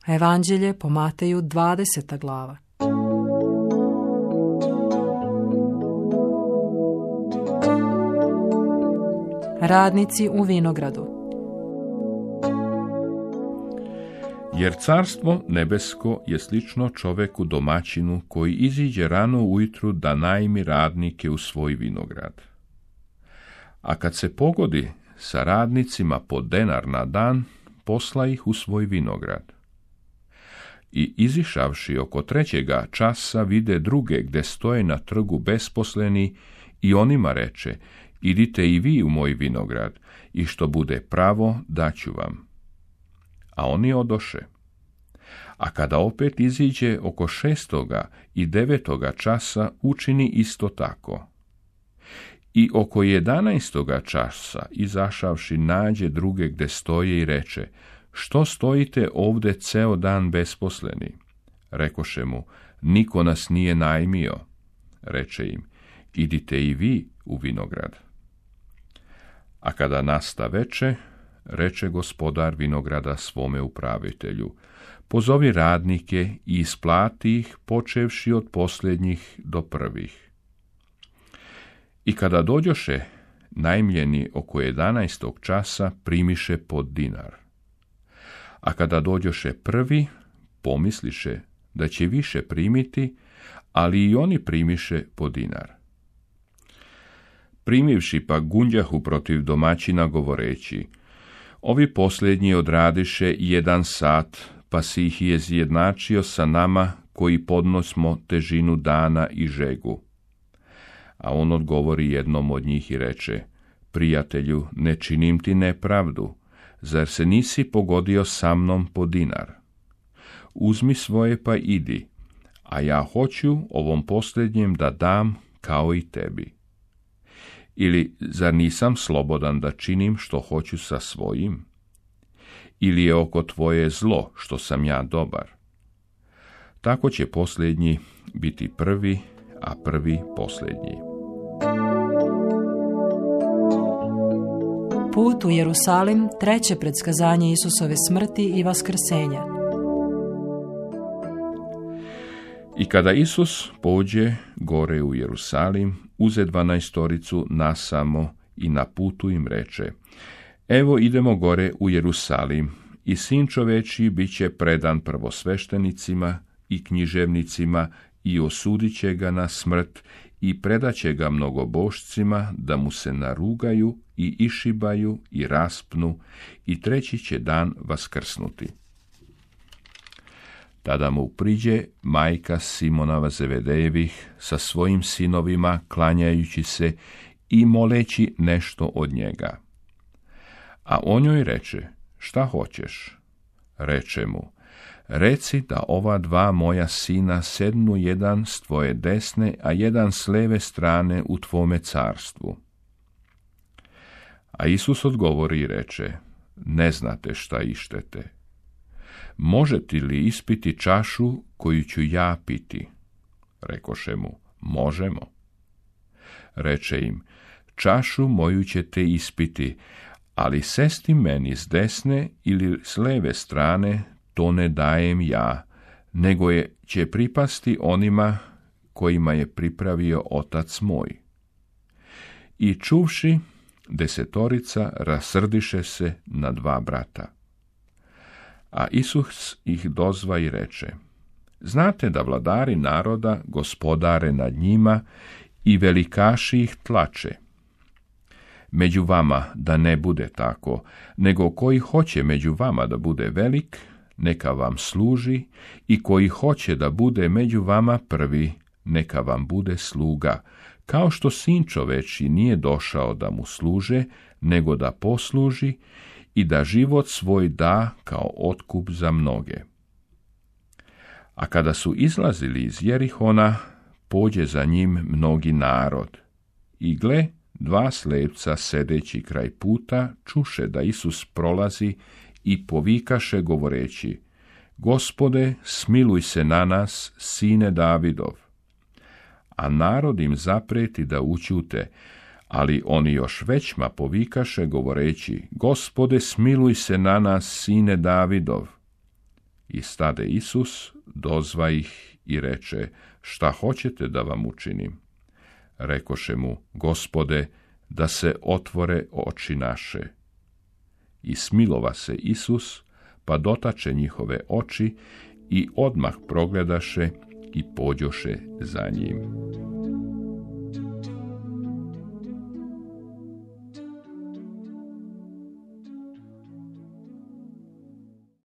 Evanđelje po Mateju 20. glava. Radnici u vinogradu. Jer carstvo nebesko je slično čoveku domaćinu koji iziđe rano ujutru da najmi radnike u svoj vinograd. A kad se pogodi sa radnicima po denar na dan, posla ih u svoj vinograd. I izišavši oko 3. časa vide druge gde stoje na trgu besposleni i onima reče, idite i vi u moj vinograd i što bude pravo daću vam. A oni odoše. A kada opet iziđe oko 6. i 9. časa učini isto tako. I oko 11. časa izašavši nađe druge gde stoje i reče, što stojite ovde ceo dan besposleni? Rekoše mu, niko nas nije najmio. Reče im, idite i vi u vinograd. A kada nasta veče, reče gospodar vinograda svome upravitelju, pozovi radnike i isplati ih, počevši od posljednjih do prvih. I kada dođoše najmljeni oko 11. časa, primiše po dinar. A kada dođoše prvi, pomisliše da će više primiti, ali i oni primiše po dinar. Primivši pa gunđahu protiv domaćina govoreći, ovi posljednji odradiše 1 sat, pa si ih je izjednačio sa nama koji podnosmo težinu dana i žegu. A on odgovori jednom od njih i reče, prijatelju, ne činim ti nepravdu, zar se nisi pogodio sa mnom po dinar? Uzmi svoje pa idi, a ja hoću ovom posljednjem da dam kao i tebi. Ili zar nisam slobodan da činim što hoću sa svojim? Ili je oko tvoje zlo što sam ja dobar? Tako će posljednji biti prvi, a prvi posljednji. Put u Jerusalim, 3. predskazanje Isusove smrti i vaskrsenja. I kada Isus pođe gore u Jerusalim, uze 12 nasamo i na putu im reče, evo idemo gore u Jerusalim i sin čovečiji bit će predan prvosveštenicima i književnicima i osudit će ga na smrt i predaće ga mnogobošcima da mu se narugaju i išibaju i raspnu i 3. će dan vaskrsnuti. Tada mu priđe majka Simonova Zevedejevih sa svojim sinovima klanjajući se i moleći nešto od njega. A on joj reče, šta hoćeš? Reče mu, reci da ova 2 moja sina sednu, jedan s tvoje desne, a jedan s leve strane u tvome carstvu. A Isus odgovori i reče, ne znate šta ištete. Možete li ispiti čašu koju ću ja piti? Rekoše mu, možemo. Reče im, čašu moju ćete ispiti, ali sesti meni s desne ili s leve strane, to ne dajem ja, nego će pripasti onima kojima je pripravio Otac moj. I čuvši, 10 rasrdiše se na 2 brata. A Isus ih dozva i reče, znate da vladari naroda gospodare nad njima i velikaši ih tlače. Među vama da ne bude tako, nego koji hoće među vama da bude velik, neka vam služi, i koji hoće da bude među vama prvi, neka vam bude sluga, kao što sin čovečji nije došao da mu služe, nego da posluži i da život svoj da kao otkup za mnoge. A kada su izlazili iz Jerihona, pođe za njim mnogi narod. I gle, 2 slepca sedeći kraj puta čuše da Isus prolazi i povikaše govoreći, Gospode, smiluj se na nas, sine Davidov. A narod im zapreti da ućute, ali oni još većma povikaše govoreći, Gospode, smiluj se na nas, sine Davidov. I stade Isus, dozva ih i reče, šta hoćete da vam učinim? Rekoše mu, Gospode, da se otvore oči naše. I smilova se Isus, pa dotače njihove oči i odmah progledaše i pođoše za njim.